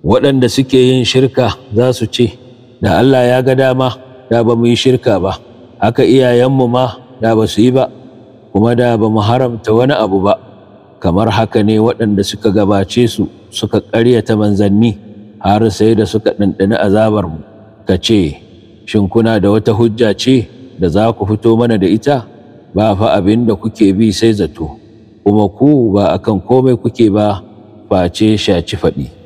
Waɗanda suke yin shirka za su ce, Da Allah ya ga dama, da ba mu yi shirka ba, haka iyayenmu ma da ba su yi ba, kuma da ba mu haramta wani abu ba, kamar haka ne waɗanda suka gabace su suka ƙaryata manzanni har sai da suka ɗanɗani azabarmu, ka ce, Shin kuna da wata hujja ce da za ku fito mana da ita? Ba fa abin da kuke bi sai zato, kuma ku ba akan komai kuke ba face shaci faɗi.